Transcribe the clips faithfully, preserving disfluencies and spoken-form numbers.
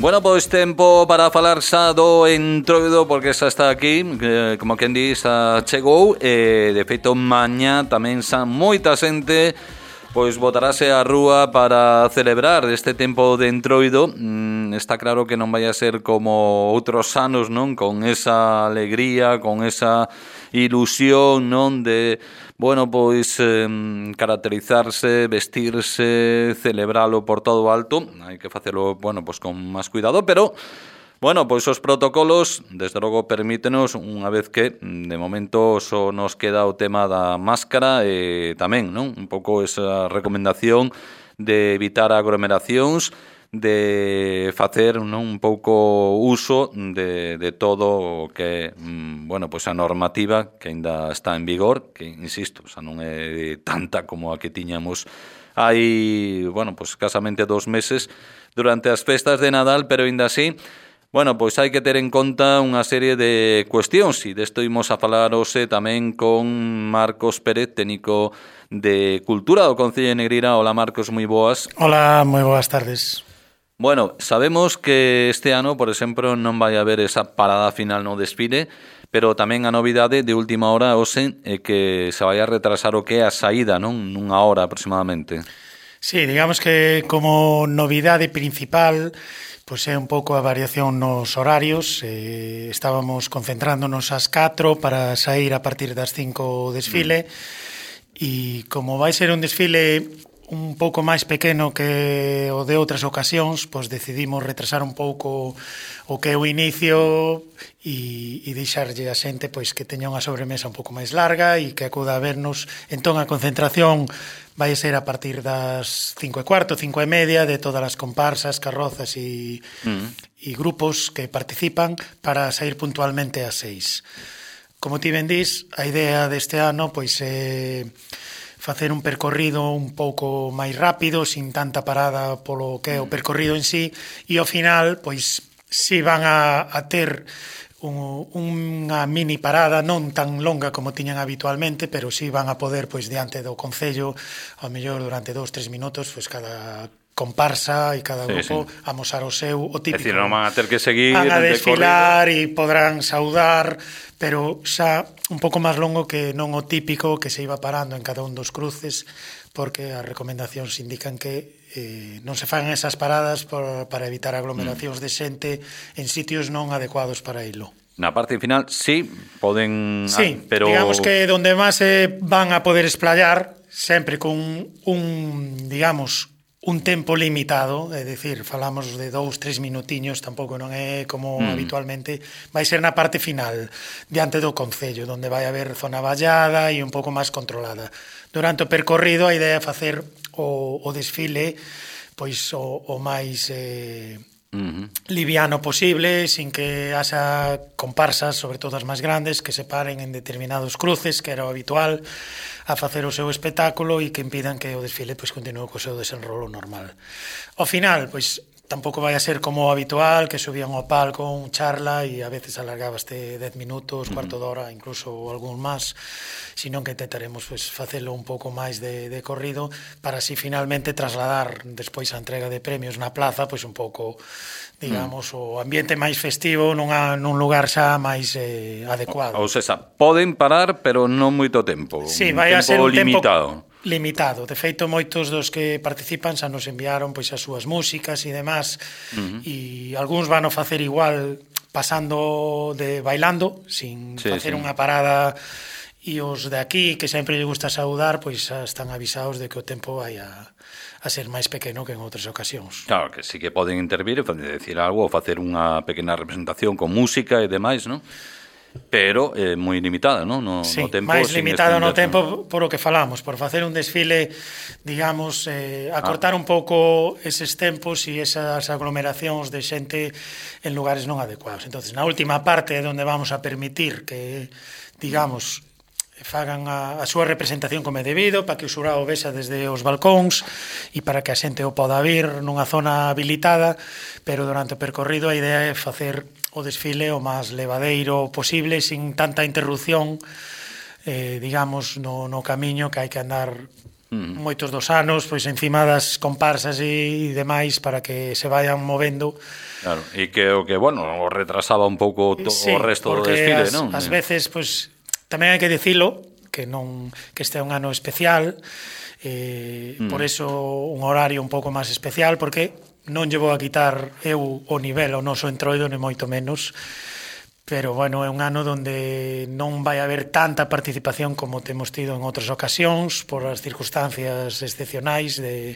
Bueno, pois tempo para falar xa do Entroido, porque xa está aquí, eh, como quen di, xa chegou, e de feito mañá tamén xa moita xente pois botarase á rúa para celebrar este tempo de Entroido. Mm, está claro que non vai a ser como outros anos, non? Con esa alegría, con esa ilusión, non? De, bueno, pois eh, caracterizarse, vestirse, celebralo por todo o alto. Hai que facelo, bueno, pois con máis cuidado, pero bueno, pois os protocolos, desde logo, permítenos, unha vez que, de momento, só nos queda o tema da máscara e tamén, non? Un pouco esa recomendación de evitar aglomeracións, de facer, non, un pouco uso de, de todo o que, bueno, pois a normativa que aínda está en vigor, que, insisto, xa non é tanta como a que tiñamos hai, bueno, pois casamente dos meses durante as festas de Nadal, pero aínda así, bueno, pois hai que ter en conta unha serie de cuestións, e desto imos a falar hoxe tamén con Marcos Pérez, técnico de Cultura do Concello de Negreira. Hola, Marcos, moi boas. Hola, moi boas tardes. Bueno, sabemos que este ano, por exemplo, non vai haber esa parada final no desfile, pero tamén a novidade de última hora hoxe é que se vai a retrasar o que é a saída, non? Nunha hora aproximadamente. Sí, digamos que como novidade principal, pois é un pouco a variación nos horarios. Eh, estábamos concentrándonos ás catro para sair a partir das cinco o desfile, mm. e como vai ser un desfile un pouco máis pequeno que o de outras ocasións, pois decidimos retrasar un pouco o que é o inicio e, e deixarlle a xente pois que teña unha sobremesa un pouco máis larga e que acuda a vernos. Entón a concentración vai ser a partir das cinco e cuarto, cinco e media, de todas as comparsas, carrozas e, mm. e grupos que participan, para sair puntualmente ás seis. Como ti ben dís, a idea deste ano pois é facer un percorrido un pouco máis rápido, sin tanta parada polo que é o percorrido en sí, e ao final, pois, si van a, a ter un, unha mini parada non tan longa como tiñan habitualmente, pero si van a poder, pois, diante do Concello, ao mellor durante dous, tres minutos, pois, cada comparsa e cada grupo sí, sí. amosar o seu, o típico. É dicir, non van a ter que seguir, van a desfilar e podrán saudar, pero xa un pouco máis longo que non o típico que se iba parando en cada un dos cruces, porque as recomendacións indican que eh, non se fan esas paradas por, para evitar aglomeracións mm. de xente en sitios non adecuados para ilo. Na parte final, sí, poden... Sí, ah, pero... digamos que donde máis se van a poder esplayar, sempre con un, digamos, un tempo limitado, é dicir, falamos de dous, tres minutiños, tampouco non é como mm. habitualmente, vai ser na parte final, diante do Concello, onde vai haber zona vallada e un pouco máis controlada. Durante o percorrido, a idea é facer o, o desfile pois o, o máis eh, mm-hmm. liviano posible, sin que haxa comparsas, sobre todo as máis grandes, que se paren en determinados cruces, que era o habitual, a facer o seu espectáculo e que impidan que o desfile pois continue co seu desenrolo normal. Ao final, pois tampouco vai a ser como o habitual, que subían ao palco un charla e a veces alargabaste dez minutos, cuarto de hora, incluso algún máis, sino que intentaremos pois facelo un pouco máis de, de corrido, para así finalmente trasladar despois a entrega de premios na plaza, pois un pouco, digamos, mm. o ambiente máis festivo nunha, nun lugar xa máis eh, adecuado. Ou seja, poden parar, pero non moito tempo. Sí, un vai tempo a ser un limitado. tempo limitado. De feito, moitos dos que participan xa nos enviaron pois as súas músicas e demás, uh-huh. e algúns van a facer igual pasando de bailando, sin sí, facer sí. unha parada, e os de aquí, que sempre lle gusta saudar, pois xa están avisados de que o tempo vai a, a ser máis pequeno que en outras ocasións. Claro, que sí que poden intervir e decir algo, ou facer unha pequena representación con música e demais, non? Pero é eh, moi limitada, non? No, sí, no tempo, máis limitado no tempo ¿no? por o que falamos, por facer un desfile, digamos, eh, acortar ah. un pouco eses tempos e esas aglomeracións de xente en lugares non adecuados. Entonces, na última parte, onde vamos a permitir que, digamos, fagan a, a súa representación como é debido, para que o xurado vexa desde os balcóns e para que a xente o poda vir nunha zona habilitada, pero durante o percorrido a idea é facer o desfile o máis levadeiro posible, sin tanta interrupción, eh, digamos, no, no camiño, que hai que andar Mm. Moitos dos anos, pois encima das comparsas e demais para que se vayan movendo. Claro, e que o que, bueno, o retrasaba un pouco to, sí, o resto do desfile, as, non? As veces, pois, tamén hai que dicilo, que non que este é un ano especial, eh, mm. por eso un horario un pouco máis especial, porque non lle vou a quitar eu o nivel o noso entroido, nem moito menos, pero, bueno, é un ano onde non vai haber tanta participación como temos tido en outras ocasións por as circunstancias excepcionais de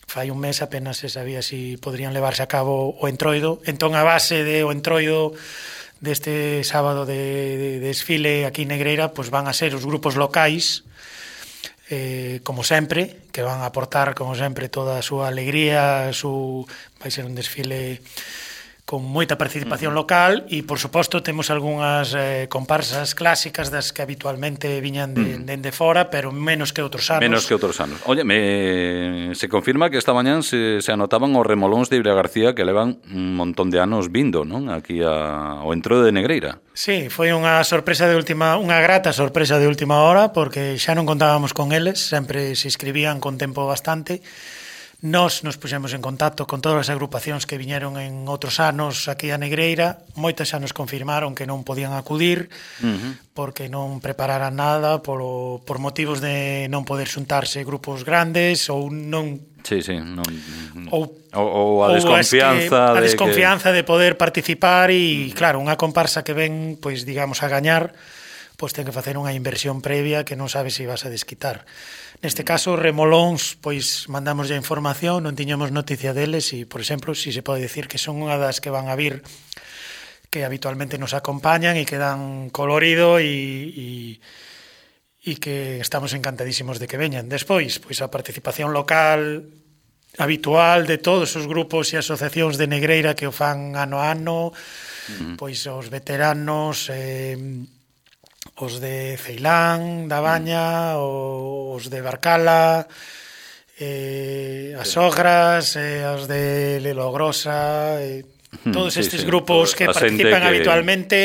fai un mes apenas se sabía si podrían levarse a cabo o entroido. Entón, a base de o entroido deste sábado de, de desfile aquí en Negreira, pois van a ser os grupos locais, eh, como sempre, que van a aportar, como sempre, toda a súa alegría, su... vai ser un desfile con moita participación local e, por suposto, temos algunhas eh, comparsas clásicas das que habitualmente viñan de, mm. de, de fora, pero menos que outros anos. Menos que outros anos. Oye, me, se confirma que esta mañán se, se anotaban os remolóns de Ibrea García que levan un montón de anos vindo, non? Aquí a, ao entroido de Negreira. Sí, foi unha sorpresa de última, unha grata sorpresa de última hora, porque xa non contábamos con eles, sempre se inscribían con tempo bastante. Nos nos puxemos en contacto con todas as agrupacións que viñeron en outros anos aquí a Negreira. Moitas xa nos confirmaron que non podían acudir uh-huh. porque non prepararan nada por, por motivos de non poder xuntarse grupos grandes ou non... Sí, sí, non... Ou, ou, ou a desconfianza, que, a de, desconfianza que... de poder participar e, uh-huh. claro, unha comparsa que ven, pois, digamos, a gañar, pois ten que facer unha inversión previa que non sabes se vas a desquitar. Neste caso, remolóns, pois mandamos ya información, non tiñamos noticia deles e, por exemplo, si se pode decir que son unha das que van a vir que habitualmente nos acompañan e que dan colorido e, e, e que estamos encantadísimos de que veñan. Despois, pois a participación local habitual de todos os grupos e asociacións de Negreira que o fan ano a ano, uh-huh. pois os veteranos... Eh, os de Ceilán, da Baña, os de Barcala, eh, as Ogras, eh, os de Lelogrosa, eh, todos sí, estes sí, grupos que participan que... habitualmente.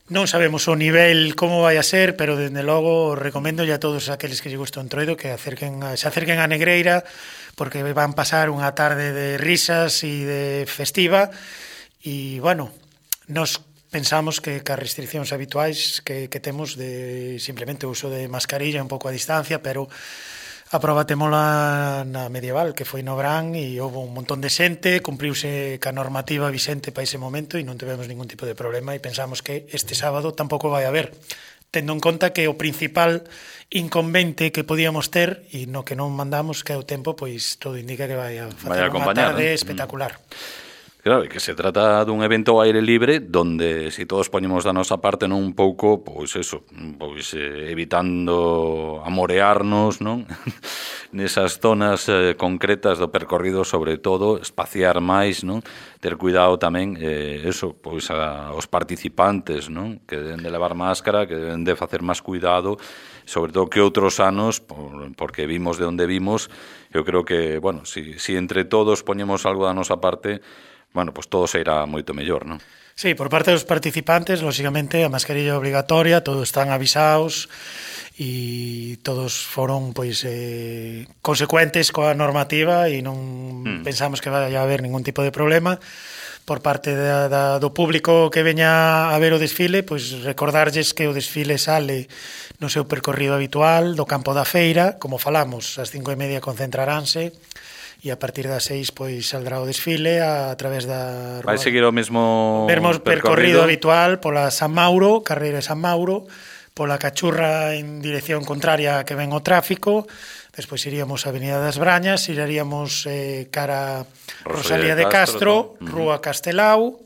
Non sabemos o nivel como vai a ser, pero dende logo recomendo a todos aqueles que lle gusta o entroido que acerquen a, se acerquen a Negreira, porque van pasar unha tarde de risas e de festiva e, bueno, nos pensamos que as restriccións habituais que, que temos de simplemente o uso de mascarilla, un pouco a distancia, pero a proba temola na medieval, que foi no Brán e houve un montón de xente, cumpriuse ca normativa vixente para ese momento e non tivemos ningún tipo de problema e pensamos que este sábado tampouco vai haber, tendo en conta que o principal inconvente que podíamos ter e no que non mandamos, que é o tempo, pois todo indica que vai a facer unha tarde espectacular. Claro, que se trata dun evento ao aire libre donde se si todos poñemos da nosa parte non un pouco, pois eso, pois eh, evitando amorearnos, non? Nesas zonas eh, concretas do percorrido, sobre todo, espaciar máis, non? Ter cuidado tamén, eh, eso, pois a, os participantes, non? Que deben de levar máscara, que deben de facer máis cuidado, sobre todo que outros anos, por, porque vimos de onde vimos, eu creo que, bueno, si, si entre todos poñemos algo da nosa parte, bueno, pues todo se irá moito mellor, non? Sí, por parte dos participantes, lógicamente, a mascarilla obligatoria, todos están avisados e todos foron, pois, eh, consecuentes coa normativa e non mm. pensamos que vai a haber ningún tipo de problema. Por parte da, da, do público que veña a ver o desfile, pois recordarlles que o desfile sale no seu percorrido habitual do campo da feira, como falamos, ás cinco e media concentraránse, e a partir das seis pois saldrá o desfile a, a través da rúa. Vai seguir o mesmo percorrido, percorrido habitual pola San Mauro, carreira de San Mauro, pola Cachurra en dirección contraria que ven o tráfico, despois iríamos a Avenida das Brañas, iríamos eh, cara Rosalía de Castro, Castro Rúa Castelao,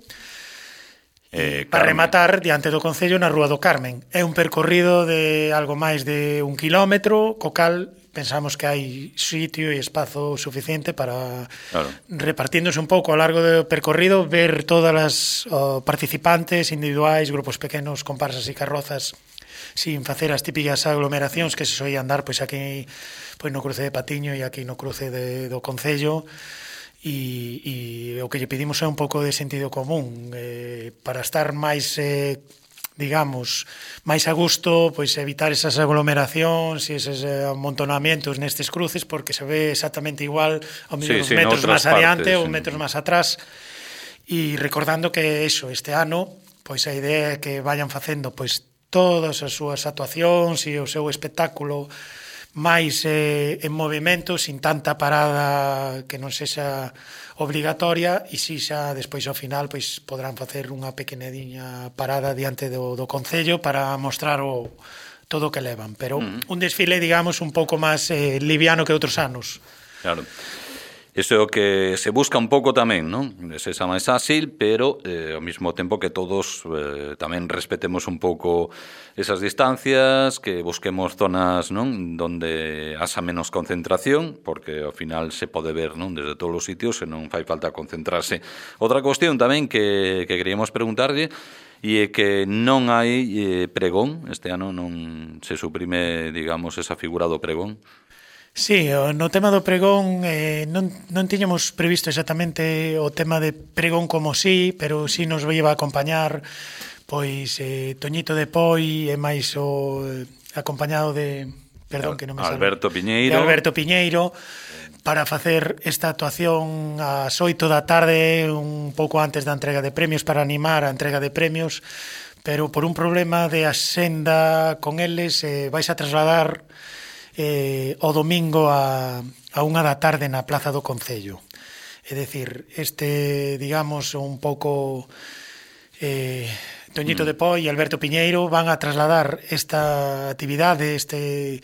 eh, para rematar diante do Concello na Rúa do Carmen. É un percorrido de algo máis de un kilómetro, co cal pensamos que hai sitio e espazo suficiente para, claro, repartiéndose un pouco ao largo do percorrido, ver todas as oh, participantes individuais, grupos pequenos, comparsas e carrozas, sin facer as típicas aglomeracións que se soían dar pois aquí pois no cruce de Patiño e aquí no cruce de, do Concello. E, e o que lle pedimos é un pouco de sentido común, eh, para estar máis... Eh, digamos, máis a gusto, pois evitar esas aglomeracións e eses amontonamientos nestes cruces, porque se ve exactamente igual ao mellor sí, sí, metros máis adiante partes, ou sí. metros máis atrás. E recordando que eso, este ano, pois a idea é que vayan facendo pois todas as súas actuacións e o seu espectáculo máis eh, en movimento, sin tanta parada que non sexa obligatoria, e si xa despois ao final pois podrán facer unha pequenediña parada diante do, do Concello para mostrar o, todo o que levan, pero uh-huh. un desfile, digamos, un pouco máis eh, liviano que outros anos. Claro. Iso é o que se busca un pouco tamén, non? Sexa máis áxil, pero eh, ao mesmo tempo que todos eh, tamén respetemos un pouco esas distancias, que busquemos zonas, non, donde haxa menos concentración, porque ao final se pode ver, non, desde todos os sitios e non fai falta concentrarse. Outra cuestión tamén que, que queríamos preguntarlle e é que non hai eh, pregón, este ano non se suprime, digamos, esa figura do pregón. Sí, no tema do pregón eh, non, non tiñamos previsto exactamente o tema de pregón como sí, pero sí nos iba a acompañar pois eh, Toñito de Poi e máis o eh, acompañado de, perdón que non me Alberto salve, Piñeiro. de Alberto Piñeiro para facer esta actuación ás oito da tarde, un pouco antes da entrega de premios, para animar a entrega de premios, pero por un problema de axenda con eles eh, vais a trasladar Eh, o domingo a, a unha da tarde na Plaza do Concello. É dicir, este, digamos, un pouco eh, Toñito mm. de Poi e Alberto Piñeiro van a trasladar esta actividade, este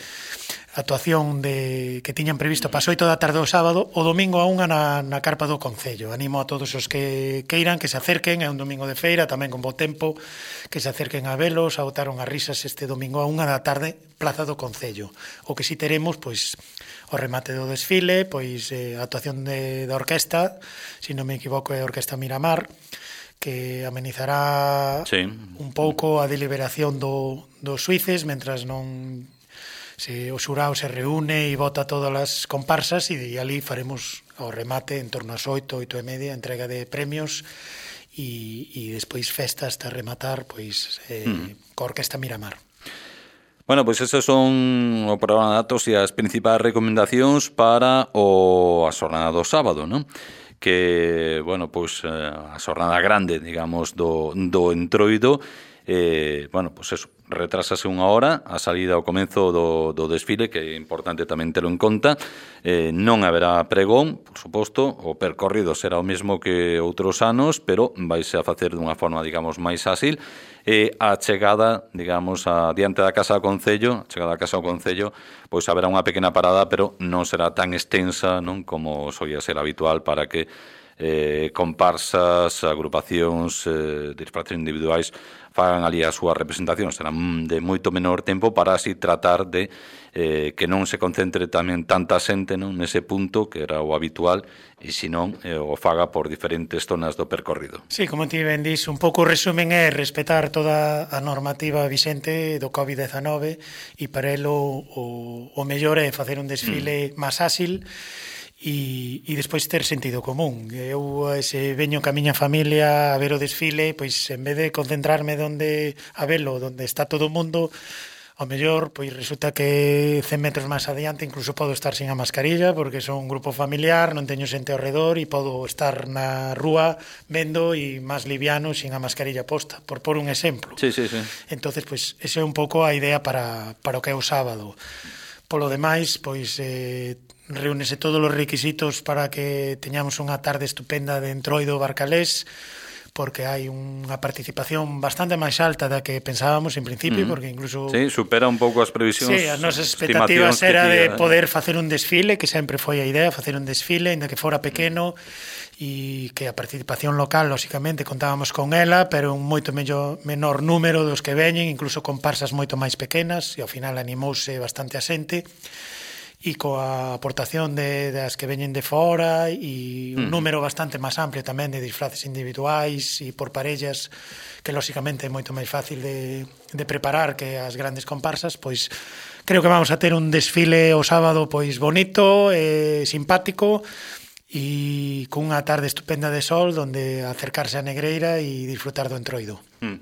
actuación de, que tiñan previsto para as oito da tarde o sábado, o domingo a unha na, na carpa do Concello. Animo a todos os que queiran que se acerquen, é un domingo de feira, tamén con bo tempo, que se acerquen a velos, a botar unhas risas este domingo a unha da tarde, Plaza do Concello. O que si teremos, pois, o remate do desfile, pois, eh, a actuación de, da orquesta, se non me equivoco é a Orquesta Miramar, que amenizará sí. un pouco a deliberación do, dos suíces, mentras non se o xurao se reúne e vota todas as comparsas, e de ali faremos o remate en torno ás oito, oito e media, entrega de premios e, e despois festa hasta rematar pois eh, mm. coa Orquesta Miramar. Bueno, pois esos son o programa de datos e as principais recomendacións para o a xornada do sábado, non? Que, bueno, pois a xornada grande, digamos, do, do Entroido, eh, bueno, pois eso, retrasase unha hora a salida ao comenzo do, do desfile, que é importante tamén telo en conta. Eh, non haberá pregón, por suposto, o percorrido será o mesmo que outros anos, pero vaise a facer dunha forma, digamos, máis áxil, e a chegada, digamos, a diante da Casa do Concello, a chegada da Casa do Concello, pois haberá unha pequena parada, pero non será tan extensa, non, como soía ser habitual, para que eh, comparsas, agrupacións, eh, disfraces individuais fagan ali a súa representación. Serán de moito menor tempo para así tratar de eh, que non se concentre tamén tanta xente, non, nese punto que era o habitual, e senón eh, o faga por diferentes zonas do percorrido. Sí, como ti ben dís, un pouco o resumen é respetar toda a normativa vixente do covid dezanove, e para elo o, o mellor é facer un desfile mm. máis áxil e, e despois ter sentido común. Eu, se veño ca miña familia a ver o desfile, pois en vez de concentrarme donde a velo, donde está todo o mundo, ao mellor, pois resulta que cen metros máis adiante incluso podo estar sin a mascarilla, porque son un grupo familiar, non teño xente ao redor, e podo estar na rúa vendo e máis liviano sin a mascarilla posta, por por un exemplo. Sí, sí, sí. Entonces, pois, esa é un pouco a idea para, para o que é o sábado. Polo demais, pois, eh, reúnese todos os requisitos para que teñamos unha tarde estupenda de Entroido Barcalés, porque hai unha participación bastante máis alta da que pensábamos en principio, mm. porque incluso... Sí, supera un pouco as previsións. Sí, as nosas expectativas era de poder facer un desfile, que sempre foi a idea, facer un desfile, ainda que fora pequeno, e que a participación local, lóxicamente, contábamos con ela, pero un moito mellor, menor número dos que veñen, incluso con comparsas moito máis pequenas, e ao final animouse bastante a xente, e coa aportación de, das que veñen de fora e un mm. número bastante máis amplio tamén de disfraces individuais e por parellas, que lóxicamente é moito máis fácil de, de preparar que as grandes comparsas, pois creo que vamos a ter un desfile o sábado pois bonito, eh, simpático, e cunha tarde estupenda de sol donde acercarse á Negreira e disfrutar do Entroido. Mm.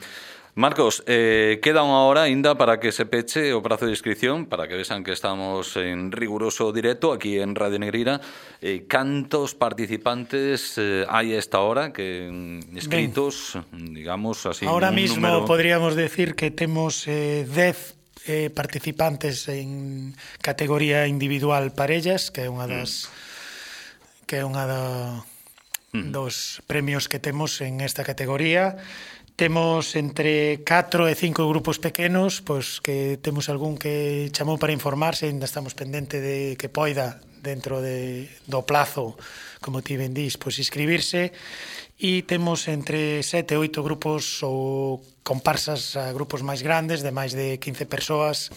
Marcos, eh, queda unha hora ainda para que se peche o prazo de inscripción, para que vexan que estamos en riguroso directo aquí en Radio Negreira. Eh, cantos participantes eh, hai a esta hora que inscritos, ben, digamos así? Ahora mismo número... podríamos decir que temos eh, dez eh, participantes en categoría individual parellas, que é unha das mm. que é unha da, mm. dos premios que temos en esta categoría. Temos entre catro e cinco grupos pequenos, pois que temos algún que chamou para informarse, ainda estamos pendente de que poida dentro de, do plazo, como ti ben dís, pois inscribirse, e temos entre sete e oito grupos ou comparsas a grupos máis grandes, de máis de quince persoas,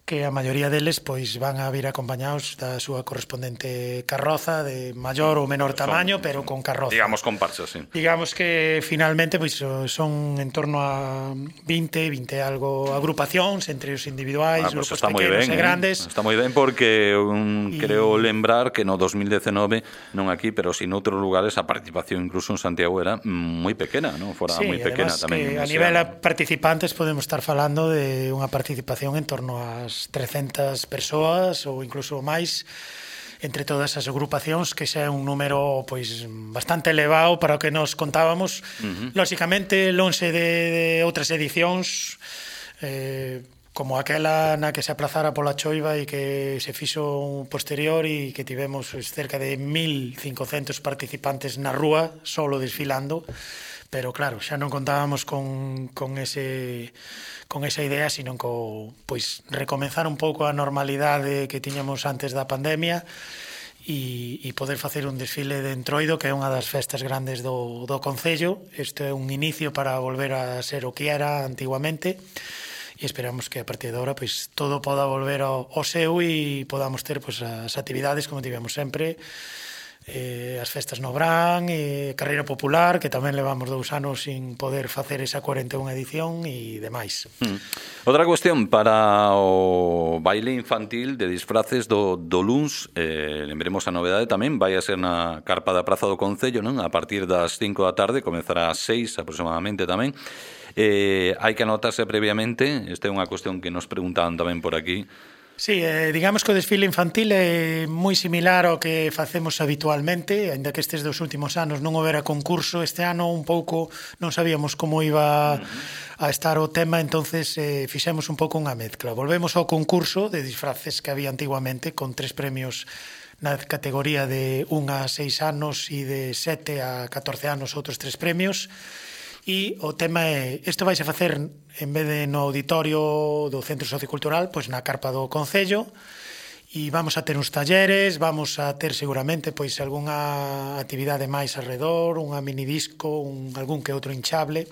que a maioría deles pois van a vir acompañados da súa correspondente carroza de maior ou menor tamaño, son, pero con carroza. Digamos comparsas, sí. Digamos que finalmente pois son en torno a vinte, vinte algo agrupacións entre os individuais, ah, pues grupos pequenos ben, e grandes. Eh? Está moi ben porque un, y... creo lembrar que no dos mil dezenove, non aquí, pero si noutros lugares a participación incluso en Santiago era moi pequena, non? Fora sí, moi pequena tamén. A nivel a participantes podemos estar falando de unha participación en torno ás trescentas persoas ou incluso máis entre todas as agrupacións, que xa é un número pois bastante elevado para o que nos contábamos. Uh-huh. Lóxicamente, lonxe de, de outras edicións eh, como aquela na que se aplazara pola choiva e que se fixo un posterior e que tivemos cerca de mil cincocentos participantes na rúa solo desfilando, pero claro, xa non contábamos con, con ese con esa idea, sino co, pois, recomenzar un pouco a normalidade que tiñamos antes da pandemia e, e poder facer un desfile de Entroido, que é unha das festas grandes do, do Concello. Este é un inicio para volver a ser o que era antiguamente e esperamos que a partir de agora pois, todo poda volver ao, ao seu e podamos ter pois, as actividades como tivemos sempre, eh, as festas no Brán, e carreira popular, que tamén levamos dous anos sin poder facer esa cuarenta e unha edición e demais. Mm. Outra cuestión para o baile infantil de disfraces do, do luns, eh, lembremos a novedade tamén, vai a ser na carpa da Praza do Concello, non? A partir das cinco da tarde, comezará ás seis aproximadamente tamén. Eh, hai que anotarse previamente, esta é unha cuestión que nos preguntaban tamén por aquí. Sí, eh, digamos que o desfile infantil é moi similar ao que facemos habitualmente, ainda que estes dos últimos anos non houbera concurso. Este ano un pouco non sabíamos como iba a estar o tema, entonces eh, fixemos un pouco unha mezcla. Volvemos ao concurso de disfraces que había antiguamente, con tres premios na categoría de un a seis anos e de sete a catorce anos outros tres premios. E o tema é, isto vais a facer en vez de no auditorio do Centro Sociocultural, pois na carpa do Concello, e vamos a ter uns talleres, vamos a ter seguramente pois algunha actividade máis alrededor, unha minidisco, un, algún que outro hinchable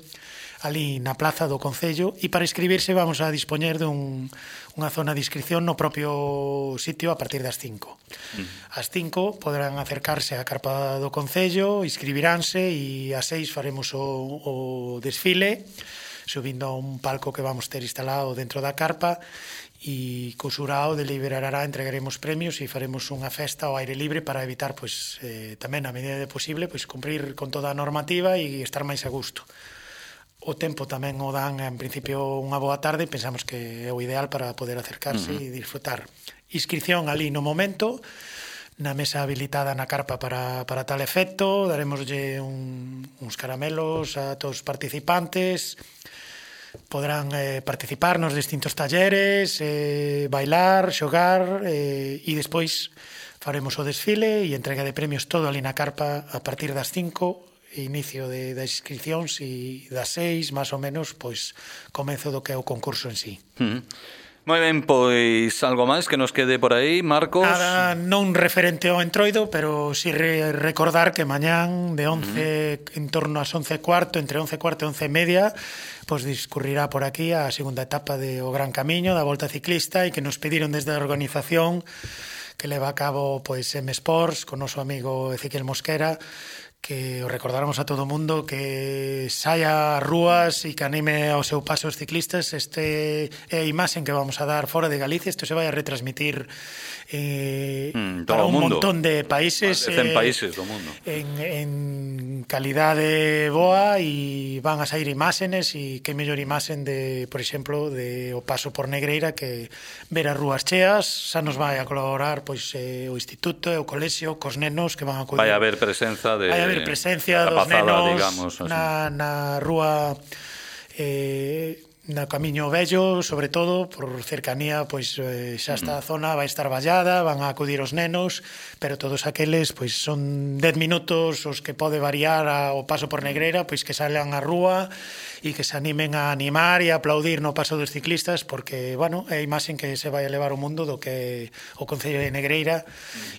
ali na plaza do Concello, e para inscribirse vamos a dispoñer dun unha zona de inscripción no propio sitio a partir das cinco. Mm. Ás cinco poderán acercarse á carpa do Concello, inscribiránse e ás seis faremos o, o desfile, subindo a un palco que vamos ter instalado dentro da carpa, e co xurao deliberará, entregaremos premios e faremos unha festa ao aire libre para evitar, pois, eh, tamén a medida de posible, pois, cumprir con toda a normativa e estar máis a gusto. O tempo tamén o dan, en principio, unha boa tarde, e pensamos que é o ideal para poder acercarse uh-huh. e disfrutar. Inscripción ali no momento, na mesa habilitada na carpa para, para tal efecto, daremoslle un, uns caramelos a todos os participantes, podrán eh, participar nos distintos talleres, eh, bailar, xogar, eh, e despois faremos o desfile e entrega de premios todo ali na carpa a partir das cinco, inicio de, das inscripcións, e das seis, máis ou menos, pois comezo do que é o concurso en sí. Mm. Moi ben, pois algo máis que nos quede por aí, Marcos? Nada, non referente ao Entroido, pero si re recordar que mañán de once, mm. en torno ás once e cuarto, entre once e cuarto e once e media, pois discurrirá por aquí a segunda etapa de O Gran Camiño, da Volta Ciclista, e que nos pediron desde a organización que leva a cabo pois M Sports, con noso amigo Ezequiel Mosquera, que o recordáramos a todo o mundo que saia ás rúas e que anime ao seu paso os ciclistas. Este é a imaxe que vamos a dar fora de Galicia. Isto se vai a retransmitir eh, mm, para un mundo. montón de países, cen eh, países do mundo en, en calidade boa, e van a sair imágenes, e que mellor imaxen de, por exemplo, de o paso por Negreira, que ver as rúas cheas. Xa nos vai a colaborar pois eh, o instituto e o colexio cos nenos que van a acudir. Vai haber presenza de Vai haber presencia dos pasada, nenos, digamos, na, na rúa eh, na Camiño Vello, sobre todo por cercanía, pois eh, xa está a zona, vai estar vallada, van a acudir os nenos, pero todos aqueles pois son dez minutos os que pode variar a, o paso por Negreira, pois que salen á rúa e que se animen a animar e a aplaudir no paso dos ciclistas, porque, bueno, é a imaxe que se vai a levar ao mundo do que o Concello de Negreira,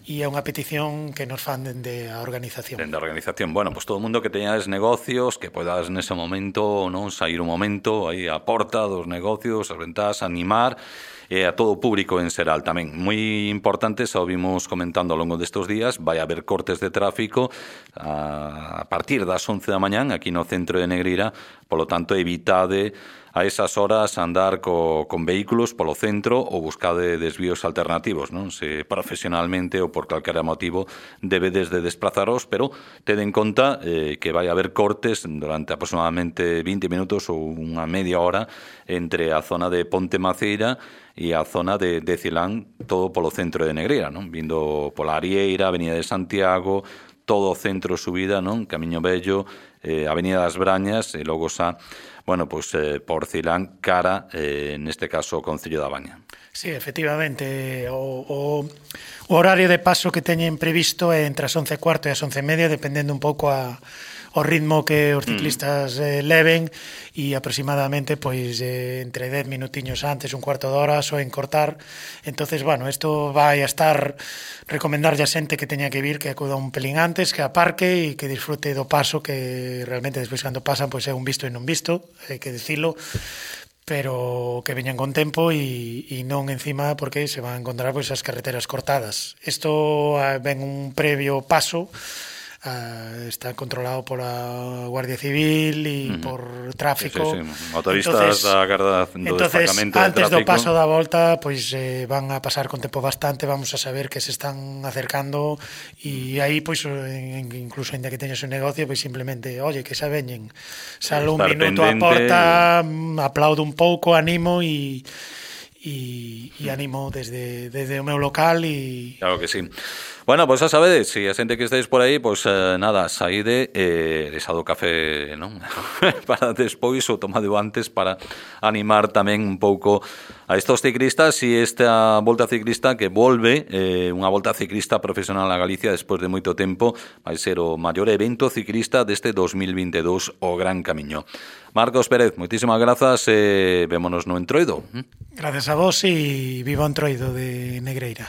e é unha petición que nos fan dende a organización. Dende a organización. Bueno, pues todo o mundo que teñades negocios, que podas nese momento, non, sair un momento aí a porta dos negocios, as ventás, animar, e a todo o público en xeral tamén. Moi importante, xa o vimos comentando ao longo destes días, vai haber cortes de tráfico a, a partir das once da mañán aquí no centro de Negreira, polo tanto evitade a esas horas andar co, con vehículos polo centro ou buscade desvíos alternativos, non? Se profesionalmente ou por calquera motivo debedes de desplazaros, pero tede en conta eh, que vai haber cortes durante aproximadamente vinte minutos ou unha media hora entre a zona de Ponte Maceira e a zona de, de Cilán, todo polo centro de Negreira, non? Vindo pola Arieira, Avenida de Santiago, todo o centro subida, non? Camiño Vello, eh, Avenida das Brañas, e logo xa, bueno, pois eh, por Cilán, cara, eh, neste caso, o Concello da Baña. Sí, efectivamente, o, o, o horario de paso que teñen previsto é entre as once e cuarto e as once e media, dependendo un pouco a, o ritmo que os ciclistas eh, leven, e aproximadamente pois eh, entre dez minutiños antes, un cuarto de hora, só en cortar. Entonces, bueno, isto vai a estar, recomendarlle a xente que teña que vir, que acuda un pelín antes, que aparque e que disfrute do paso, que realmente despois cando pasan pois é un visto e non visto, hai que dicilo, pero que veñan con tempo e, e non encima, porque se van a encontrar pois as carreteras cortadas. Isto ven un previo paso, Uh, está controlado pola Guardia Civil e uh -huh. por tráfico. Sí, sí, sí. Motoristas da Garda do entonces, Destacamento de antes Tráfico. do paso da volta, pois eh, van a pasar con tempo bastante, vamos a saber que se están acercando, e aí, pois, incluso ainda que teñas un negocio, pois simplemente, oye, que xa veñen, salo un minuto pendente. a porta, aplaudo un pouco, animo e e, e animo desde, desde o meu local e... Claro que sí. Bueno, pois pues, xa sabedes, se si a xente que estáis por aí, pois pues, eh, nada, saíde eh, desado café, non? Para despois ou tomado antes para animar tamén un pouco a estos ciclistas e esta volta ciclista que volve, eh, unha volta ciclista profesional a Galicia despois de moito tempo, vai ser o maior evento ciclista deste dos mil veintidós, o Gran Camiño. Marcos Pérez, moitísimas grazas e eh, vémonos no Entroido. Gracias a vos e viva o Entroido de Negreira.